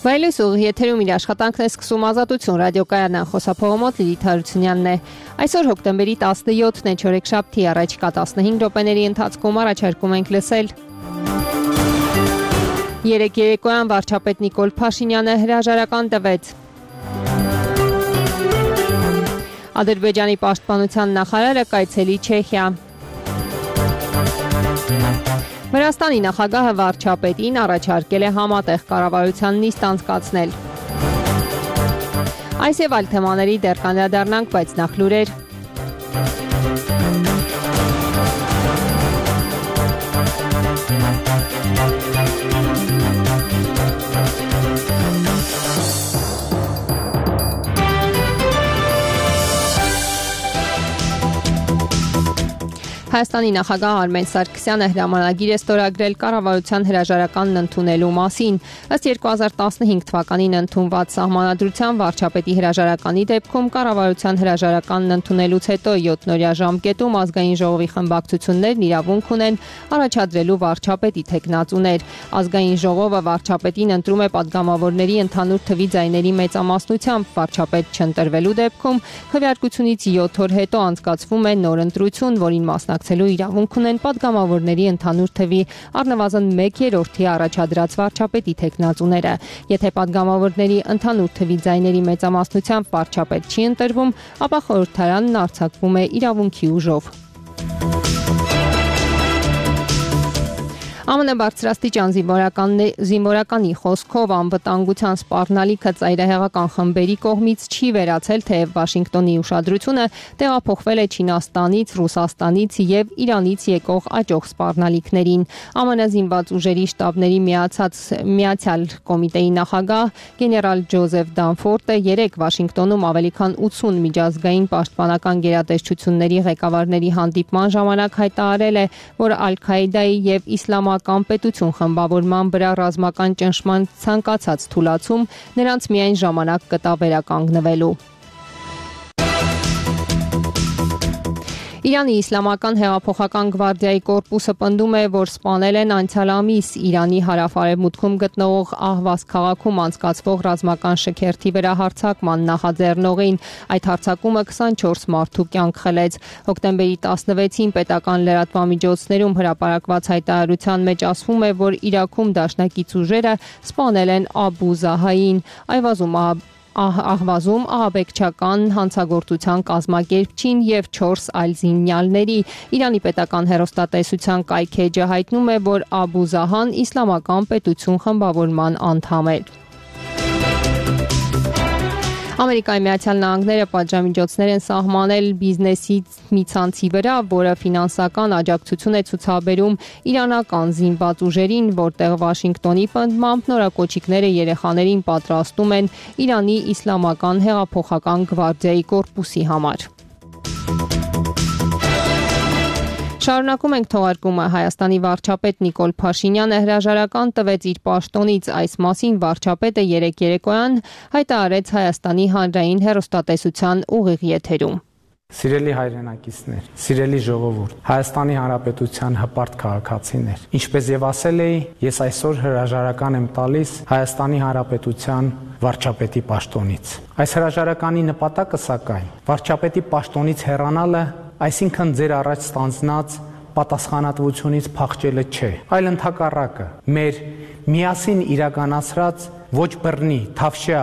Վայելույս ուղի եթերում իր աշխատանքն է սկսում Ազատություն ռադիոկայանն խոսափողոմոտ Լիլիթ Հարությունյանն է։ Այսօր հոկտեմբերի 17-ն է, չորեքշաբթի, առաջիկա 15 րոպեների ընթացքում առաջարկում ենք լսել Երեկ երեկոյան վարչապետ Նիկոլ Փաշինյանը հրաժարական տվեց։ Ադրբեջանի պաշտպանության նախարարը կայցելի Չեխիա։ Վրաստանի նախագահը վարչապետին առաջարկել է համատեղ կառավարության նիստ անցկացնել։ Այս եւ այլ թեմաների դեռ կանդրադառնանք, բայց նախ լուրեր։ Հայաստանի նախագահ Արմեն Սարգսյանը հրամանագիր է ստորագրել կառավարության հրաժարականն ընդունելու մասին։ Ըստ 2015 թվականին ընդունված սահմանադրության վարչապետի հրաժարականի դեպքում կառավարության հրաժարականն ընդունելուց հետո 7-օրյա ժամկետում ազգային ժողովի խմբակցություններն իրավունք ունեն առաջադրելու վարչապետի թեկնածուներ։ Ազգային ժողովը վարչապետին ընտրում է падգամավորների ընդհանուր թվի ձայների մեծամասնությամբ։ Վարչապետ չընտրվելու դեպքում քվեարկությունից 7 օր հետո անցկացվում է նոր ընտրություն, որին մասնակցելու իրավունք ունեն падգամավորների ընդհանուր թվի առնվազն 1/3-ի առաջադրած վարչապետի թեկնածուները։ Եթե падգամավորների ընդհանուր թվի ձայների մեծամասնությամբ վարչապետ չի ընտրվում, ապա խորհրդարանն արձակվում է իրավունքի ուժով։ ԱՄՆ բարձրաստիճան զինվորականի խոսքով անվտանգության սպառնալիքը ծայրահեղական խմբերի կողմից չի վերացել, թեև Վաշինգտոնի ուշադրությունը տեղափոխվել է Չինաստանից, Ռուսաստանից եւ Իրանից եկող աճող սպառնալիքներին։ ԱՄՆ զինված ուժերի շտաբների միացյալ կոմիտեի նախագահ գեներալ Ջոզեֆ Դանֆորդը երեկ Վաշինգտոնում ավելի քան 80 միջազգային պաշտպանական գերատեսչությունների ղեկավարների հանդիպման ժամանակ հայտարարել է, որ Ալ-Քաիդայի եւ Իսլամական պետություն խմբավորման վրա ռազմական ճնշման ցանկացած թուլացում նրանց միայն ժամանակ կտա վերականգնվելու։ Իրանի Իսլամական հեղափոխական գվարդիայի կորպուսը պնդում է, որ սպանել են անցյալ ամիս Իրանի հարավ-արևմուտքում գտնվող Ահվազ քաղաքում անցկացվող ռազմական շքերթի վրա հարձակման նախաձեռնողին։ Այդ հարձակումը 24 մարդու կյանք խլեց։ Հոկտեմբերի 16-ին պետական լրատվամիջոցներում հրապարակված հայտարարության մեջ ասվում է, որ Իրաքում դաշնակից ուժերը սպանել են Աբու Զահային, Ահվազում ահաբեկչական հանցագործության կազմակերպչին եւ 4 այլ զինյալների։ Իրանի պետական հեռուստատեսության կայքէջը հայտնում է, որ Աբու Զահան իսլամական պետություն խմբավորման անդամ էր։ Ամերիկայի Միացյալ Նահանգները պատժամիջոցներ են սահմանել բիզնեսի մի ցանցի վրա, որը ֆինանսական աջակցություն է ցուցաբերում իրանական զինված ուժերին, որտեղ Վաշինգտոնի պնդմամբ նորակոչիկները երեխաներին պատրաստում են Իրանի Իսլամական հեղափոխական գվարդիայի կորպուսի համար։ Շարունակում ենք թողարկումը։ Հայաստանի վարչապետ Նիկոլ Փաշինյանը հրաժարական տվեց իր պաշտոնից։ Այս մասին վարչապետը երեկ երեկոյան հայտարարեց Հայաստանի հանրային հեռուստատեսության ուղիղ եթերում։ Սիրելի հայրենակիցներ, սիրելի ժողովուրդ, Հայաստանի Հանրապետության հպարտ քաղաքացիներ, ինչպես եւ ասել էի, ես այսօր հրաժարական եմ տալիս Հայաստանի Հանրապետության վարչապետի պաշտոնից։ Այս հրաժարականի նպատակը սակայն վարչապետի պաշտոնից հեռանալը, այսինքն ձեր առաջ ստանձնած պատասխանատվությունից փախչելը չէ, այլ ընդհակառակը, մեր միասին իրականացրած ոչ բռնի, թավշյա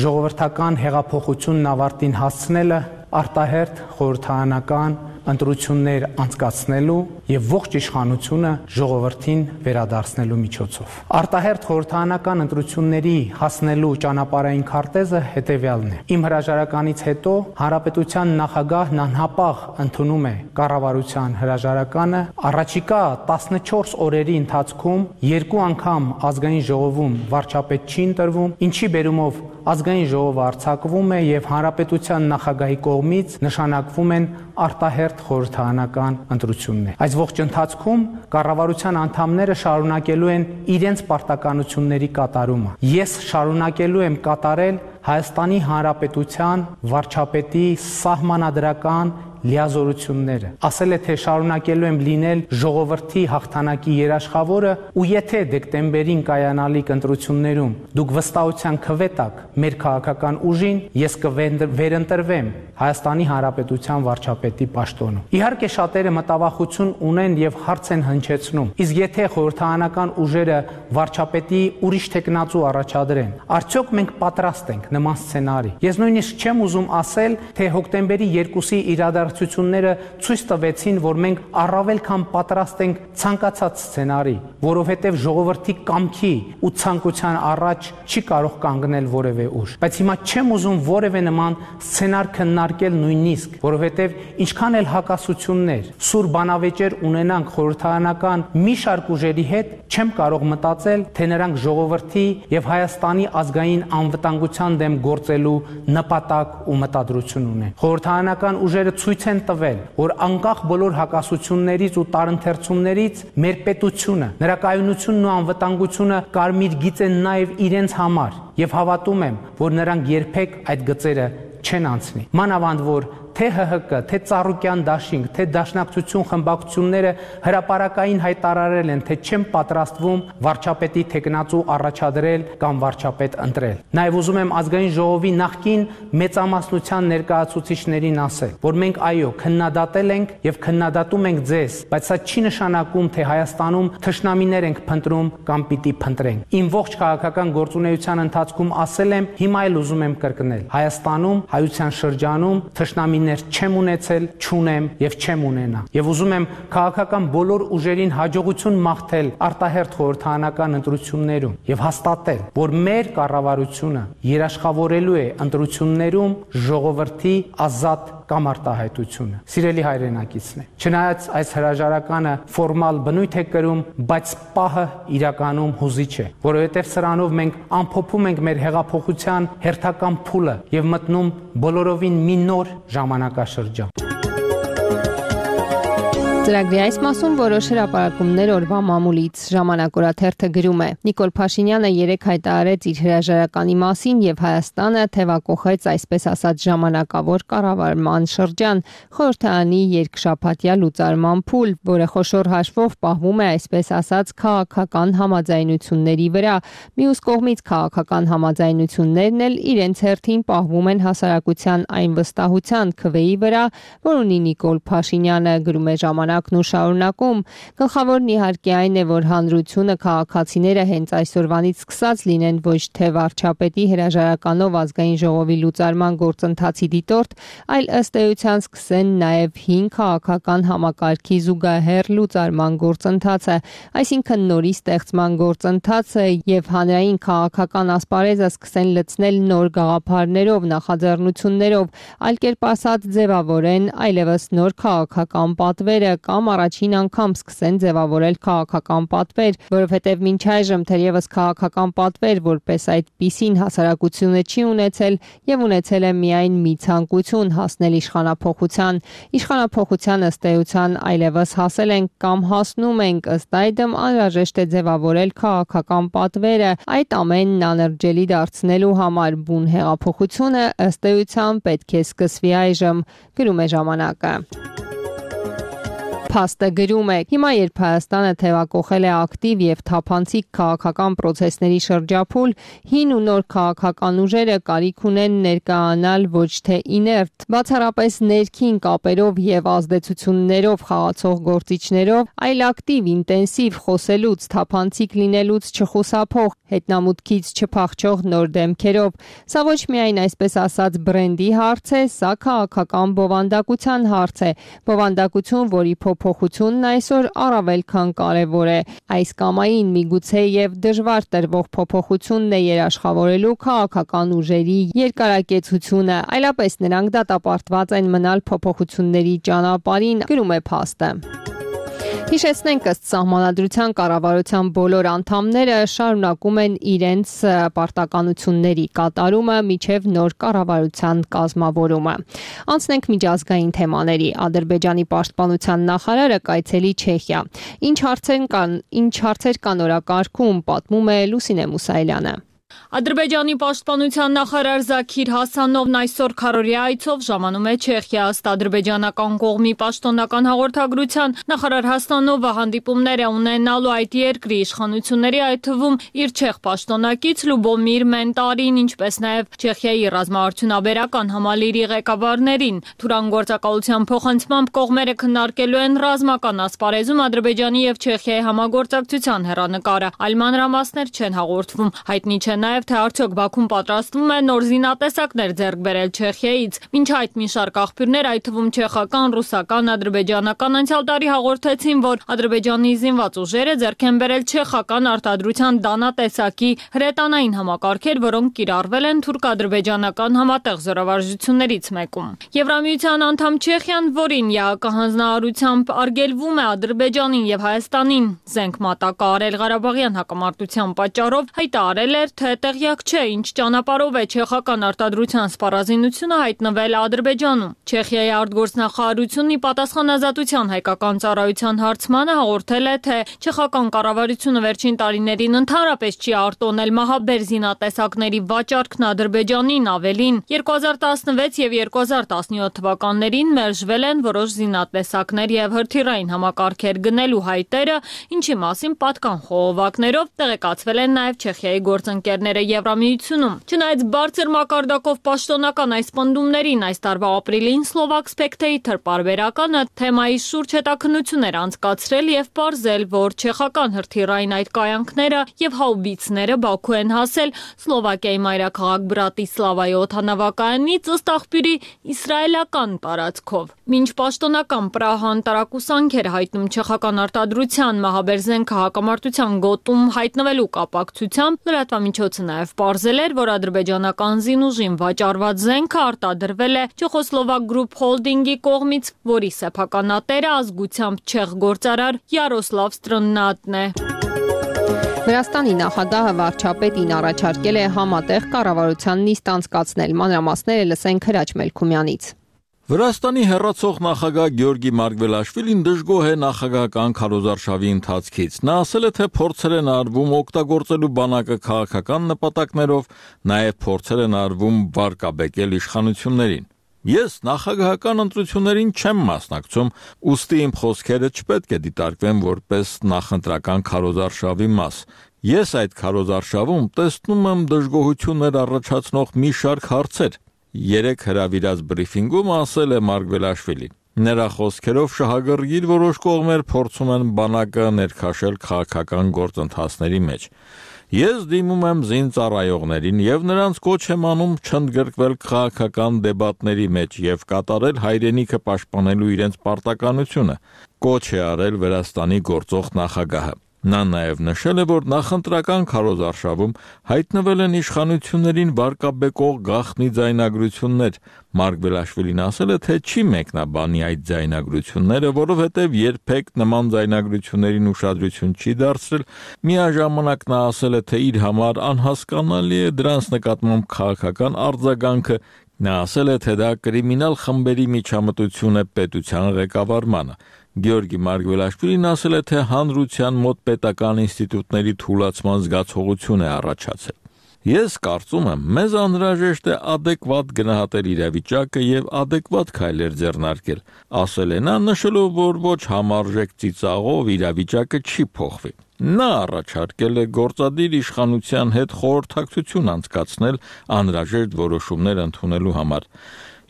ժողովրդական հեղափոխությունն ավարտին հասցնելը արտահերթ խորհրդարանական ընտրություններ անցկացնելու եւ ողջ իշխանությունը ժողովրդին վերադարձնելու միջոցով։ Արտահերթ խորհրդարանական ընտրությունների հասնելու ճանապարհային քարտեզը հետեւյալն է։ Իմ հրաժարականից հետո Հանրապետության նախագահն անհապաղ ընդունում է կառավարության հրաժարականը, առաջիկա 14 օրերի ընթացքում 2 անգամ ազգային ժողովում վարչապետ չի ընտրվում, ինչի բերումով ազգային ժողովը արձակվում է եւ հանրապետության նախագահի կողմից նշանակվում են արտահերթ խորհրդարանական ընտրություններ։ Այս ողջ ընթացքում կառավարության անդամները շարունակելու են իրենց պարտականությունների կատարումը։ Ես շարունակելու եմ կատարել Հայաստանի Հանրապետության վարչապետի սահմանադրական լիազորությունները։ Ասել է, թե շարունակելու եմ լինել ժողովրդի հաղթանակի երաշխավորը, ու եթե դեկտեմբերին կայանալիք ընտրություններում դուք վստահության քվետակ մեր քաղաքական ուժին, ես կվերընտրվեմ Հայաստանի Հանրապետության վարչապետի պաշտոնում։ Իհարկե շատերը մտավախություն ունեն եւ հարց են հնչեցնում. իսկ եթե խորհրդարանական ուժերը վարչապետի ուրիշ տեխնացու առաջադրեն, արդյոք մենք պատրաստ ենք նման սցենարի։ Ես նույնիսկ չեմ ուզում ասել, թե հոկտեմբերի 2-ի իրադարձությունները ցույց տվեցին, որ մենք առավել քան պատրաստ ենք ցանկացած սցենարի, որովհետեւ ժողովրդի կամքի ու ցանկության առաջ չի կարող կանգնել որևէ ուժ։ Բայց հիմա չեմ ուզում որևէ նման սցենար քննարկել նույնիսկ, որովհետեւ ինչքան էլ հակասություններ, սուր բանավեճեր ունենանք խորհրդարանական մի շարք ուժերի հետ, չեմ կարող մտածել, թե նրանք ժողովրդի եւ Հայաստանի ազգային անվտանգության դեմ գործելու նպատակ ու մտադրություն ունեն։ Խորհրդարանական ուժերը ցույց են տվել, որ անկախ բոլոր հակասություններից ու տարընթերցումներից մեր պետությունը, նրա կայունությունն ու անվտանգությունը կարմիր գիծ են նաեւ իրենց համար եւ հավատում եմ, որ նրանք երբեք այդ գծերը չեն անցնի։ Մանավանդ որ թե ՀՀԿ, թե Ծառուկյան դաշինք, թե Դաշնակցություն խմբակցությունները հրապարակային հայտարարել են, թե չեն պատրաստվում վարչապետի տեխնացու առաջադրել կամ վարչապետ ընտրել։ Նաև ուզում եմ ազգային ժողովի նախկին մեծամասնության ներկայացուցիչներին ասել, որ մենք այո, քննադատել ենք եւ քննադատում ենք ձեզ, բայց սա չի նշանակում, թե Հայաստանում թշնամիներ ենք փնտրում կամ պիտի փնտրենք։ Իմ ողջ քաղաքական գործունեության ընթացքում ասել եմ, հիմա էլ ուզում եմ կրկնել. Հայաստանում, հայության շրջանում թշնամի չեմ ունեցել, չունեմ եւ չեմ ունենա։ Եվ ուզում եմ քաղաքական բոլոր ուժերին հաջողություն մաղթել արտահերթ խորհրդարանական ընտրություններում եւ հաստատել, որ մեր կառավարությունը երաշխավորելու է ընտրություններում ժողովրդի ազատ կամ արտահայտությունը։ Սիրելի հայրենակիցներ, չնայած այս հրաժարականը ֆորմալ բնույթ է կրում, բայց պահը իրականում հուզիչ է, որովհետև սրանով մենք ամփոփում ենք մեր հեղափոխության հերթական փուլը եւ մտնում բոլորովին մի նոր ժամանակաշրջան։ Ծրագրի այս մասում որոշ հրապարակումներ օրվա մամուլից ժամանակ օրաթերթը գրում է. Նիկոլ Փաշինյանը երեկ հայտարարեց իր հրաժարականի մասին եւ Հայաստանը թեւակոխեց այսպես ասած ժամանակավոր կառավարման շրջան, խորհրդարանի երկշաբաթյա լուծարման փուլ, որը խոշոր հաշվով պահվում է այսպես ասած քաղաքական համաձայնությունների վրա։ Մյուս կողմից քաղաքական համաձայնություններն էլ իրենց հերթին պահվում են հասարակության այն վստահության քվեի վրա, որ ունի Նիկոլ Փաշինյանը, գրում է ժամանակ ու շարունակում։ Գլխավորն իհարկե այն է, որ հանրությունը քաղաքացիները հենց այսօրվանից սկսած լինեն ոչ թե վարչապետի հրաժարականով ազգային ժողովի լուծարման գործընթացի դիտորդ, այլ ըստ էության սկսեն նաև հին քաղաքական համակարգի զուգահեռ լուծարման գործընթացը, այսինքն նորի ստեղծման գործընթացը եւ հանրային քաղաքական ասպարեզը սկսեն լցնել նոր գաղափարներով, նախաձեռնություններով, այլ կերպ ասած ձևավորեն այլևս նոր քաղաքական պատվերը կամ առաջին անգամ սկսեն ձևավորել քաղաքական պատվեր, որովհետև մինչ այժմ թերևս քաղաքական պատվեր որպես այդպիսին հասարակությունը չի ունեցել եւ ունեցել է միայն մի ցանկություն հասնել իշխանափոխության։ Իշխանափոխության ըստ էության այլևս հասել ենք կամ հասնում ենք, ըստ այդմ անհրաժեշտ է ձևավորել քաղաքական պատվերը, այդ ամենն անըրջելի դարձնելու համար բուն հեղափոխությունը ըստ էության պետք է սկսվի այժմ, գրում է ժամանակը։ Փաստը գրում է. Հիմա երբ Հայաստանը թևակոխել է ակտիվ եւ թափանցիկ քաղաքական process-ների շրջափուլ, հին ու նոր քաղաքական ուժերը կարիք ունեն ներկայանալ ոչ թե իներտ, բացառապես ներքին կապերով եւ ազդեցություններով խաղացող գործիչներով, այլ ակտիվ, ինտենսիվ խոսելուց, թափանցիկ լինելուց չխուսափող, հետնամուտքից չփախչող նոր դեմքերով։ Սա ոչ միայն այսպես ասած բրենդի հարց է, սա քաղաքական բովանդակության հարց է, բովանդակություն, որի փոփոխությունն այսօր առավել քան կարևոր է։ Այս կամային միգուցե եւ դժվար տրվող փոփոխությունն է երաշխավորելու քաղաքական ուժերի երկարակեցությունը, այլապես նրանք դատապարտված են մնալ փոփոխությունների ճանապարհին, գրում է փաստը։ Հիշեցնենք, ըստ Սահմանադրության կառավարության բոլոր անդամները շարունակում են իրենց պարտականությունների կատարումը մինչև նոր կառավարության կազմավորումը։ Անցնենք միջազգային թեմաների։ Ադրբեջանի պաշտպանության նախարարը կայցելի Չեխիա։ Ինչ հարցեր կան օրակարգում, պատմում է Լուսինե Մուսայելյանը։ Ադրբեջանի պաշտպանության նախարար Զաքիր Հասանովն այսօր քարորիա այցով ժամանում է Չեխիա։ Ըստ ադրբեջանական կողմի պաշտոնական հաղորդագրության նախարար Հասանովը հանդիպումներ է ունենալու այդ երկրի իշխանությունների, այդ թվում իր չեխ պաշտոնակից Լյուբոմիր Մենտարին, ինչպես նաև Չեխիայի ռազմաարդյունաբերական համալիրի ղեկավարներին։ Թուրան գործակալության փոխանցմամբ կողմերը քննարկելու են ռազմական ասպարեզում Ադրբեջանի եւ Չեխիայի համագործակցության հեռանկարը։ Այլ մանրամասներ չեն հաղորդվում։ Հայտնի չէ նաև թե արդյոք Բաքուն պատրաստվում է նոր զինատեսակներ ձեռք բերել Չեխիայից։ Մինչ այդ մի շարք աղբյուրներ, այդ թվում չեխական, ռուսական, ադրբեջանական անցյալ տարի հաղորդեցին, որ Ադրբեջանի զինված ուժերը ձեռք են բերել չեխական արտադրության դանատեսակի հրետանային համակարգեր, որոնք կիրառվել են թուրք-ադրբեջանական համատեղ զորավարժություններից մեկում։ Եվրամիության անդամ Չեխիան, որին ԵԱԿ հանձնարարությամբ արգելվում է Ադրբեջանին եւ Հայաստանին զենք մատակարարել Ղարաբաղյան հակամարտության պատճառով, հայտարարել էր, թե տեղյակ չէ, ինչ ճանապարհով է չեխական արտադրության սպառազինությունը հայտնվել Ադրբեջանում։ Չեխիայի արտգործնախարարությունն ի պատասխան Ազատության հայկական ծառայության հարցմանը հաղորդել է, թե չեխական կառավարությունը վերջին տարիներին ընդհանրապես չի արտոնել մահաբեր զինատեսակների վաճառքն Ադրբեջանին, ավելին 2016 եւ 2017 թվականներին մերժվել են որոշ զինատեսակներ եւ հրթիռային համակարգեր գնելու հայտերը, ինչի մասին պատկան խողովակներով տեղեկացվել են նաեւ Չեխիայի գործընկերները Եվրամիությունում։ Չնայած բարձր մակարդակով պաշտոնական այս պնդումներին, այս տարվա ապրիլին Slovak Spectator պարբերականը թեմայի շուրջ հետաքննություններ անցկացրել եւ պարզել, որ չեխական հրթիռային այդ կայանքները եւ հաուբիցները Բաքու են հասել Սլովակիայի մայրաքաղաք Բրատիսլավայի օդանավակայանից ըստ աղբյուրի իսրայելական տարածքով։ Մինչ պաշտոնական Պրահան տարակուսանք էր հայտնում չեխական արտադրության մահաբեր զենքը հակամարտության գոտում հայտնվելու կապակցությամբ, լրատվամիջոցը նաև պարզել էր, որ ադրբեջանական զինուժին վաճառված զենքը արտադրվել է Չեխոսլովակ Group Holding-ի կողմից, որի սեփականատերը ազգությամբ չեխ գործարար Յարոսլավ Ստրննատն է։ Վրաստանի նախագահը վարչապետին առաջարկել է համատեղ կառավարության նիստ անցկացնել։ Մանրամասները լսենք Հրաչ Մելքումյանից։ Վրաստանի հեռացող նախագահ Գյորգի Մարգվելաշվիլին դժգոհ է նախագահական քարոզարշավի ընթացքից։ Նա ասել է, թե փորձեր են արվում օգտագործելու բանակը քաղաքական նպատակներով, նաև փորձեր են արվում վարկաբեկել իշխանություններին։ Ես նախագահական ընտրություններին չեմ մասնակցում, ուստի իմ խոսքերը չպետք է դիտարկվեն որպես նախընտրական քարոզարշավի մաս։ Ես այդ քարոզարշավում տեսնում եմ դժգոհություններ առաջացնող մի շարք հարցեր։ Երեք հրավիրած բրիֆինգում ասել է Մարգվելաշվիլին։ Նրա խոսքերով շահագրգիռ որոշ կողմեր փորձում են բանակը ներքաշել քաղաքական գործընթացների մեջ։ Ես դիմում եմ զինծառայողներին եւ նրանց կոչ եմ անում չընդգրկվել քաղաքական դեբատների մեջ եւ կատարել հայրենիքը պաշտպանելու իրենց պարտականությունը, կոչ է արել Վրաստանի գործող նախագահը։ Նա նաև նշել է, որ նախընտրական քարոզարշավում հայտնվել են իշխանություններին վարկաբեկող գաղտնի ձայնագրություններ։ Մարգվելաշվիլին ասել է, թե չի մեկնաբանի այդ ձայնագրությունները, որովհետև երբեք նման ձայնագրություններին ուշադրություն չի դարձրել։ Միաժամանակ նա ասել է, թե իր համար անհասկանալի է դրանց նկատմամբ քաղաքական արձագանքը։ Նա ասել է, թե դա կրիմինալ խմբերի միջամտություն է պետության ղեկավարմանը։ Գյորգի Մարգվելաշվիլին ասել է, թե հանրության մոտ պետական ինստիտուտների թուլացման զգացողություն է առաջացել։ Ես կարծում եմ, մեզ անհրաժեշտ է adekvat գնահատել իրավիճակը եւ adekvat քայլեր ձեռնարկել, ասել է նա, նշելով, որ ոչ համարժեք ծիծաղով իրավիճակը չի փոխվի։ Նա առաջարկել է գործադիր իշխանության հետ խորհրդակցություն անցկացնել անհրաժեշտ որոշումներ ընդունելու համար։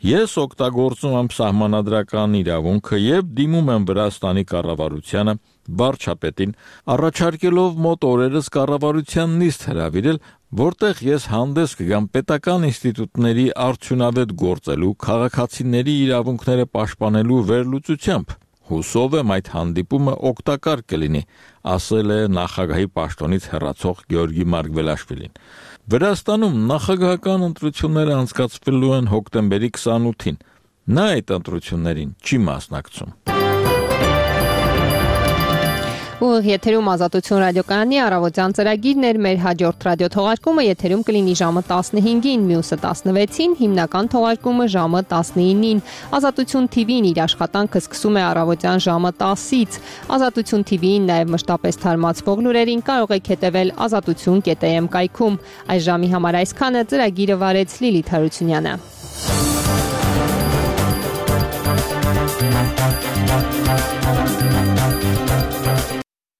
Ես օգտագործում եմ սահմանադրական իրավունքը եւ դիմում եմ Վրաստանի կառավարությանը, վարչապետին, առաջարկելով մոտ օրերս կառավարության նիստ հրավիրել, որտեղ ես հանդես կգամ պետական ինստիտուտների արդյունավետ գործելու, քաղաքացիների իրավունքները պաշտպանելու վերլուծությամբ։ Հուսով եմ այդ հանդիպումը օգտակար կլինի, ասել է նախագահի պաշտոնից հեռացող Գյորգի Մարգվելաշվիլին։ Վրաստանում նախագահական ընտրությունները անցկացվելու են հոկտեմբերի 28-ին։ Նա այդ ընտրություններին չի մասնակցում։ Ուղիղ եթերում Ազատություն ռադիոկայանի առավոտյան ծրագիրն էր, մեր հաջորդ ռադիոթողարկումը եթերում կլինի ժամը 15-ին, մյուսը 16-ին, հիմնական թողարկումը ժամը 19-ին։ Ազատություն TV-ն իր աշխատանքը սկսում է առավոտյան ժամը 10-ից։ Ազատություն TV-ին նաև մշտապես թարմացվող լուրերին կարող եք հետևել azatutun.am կայքում։ Այս ժամի համար այսքանը, ծրագիրը վարեց Լիլիթ Հարությունյանը։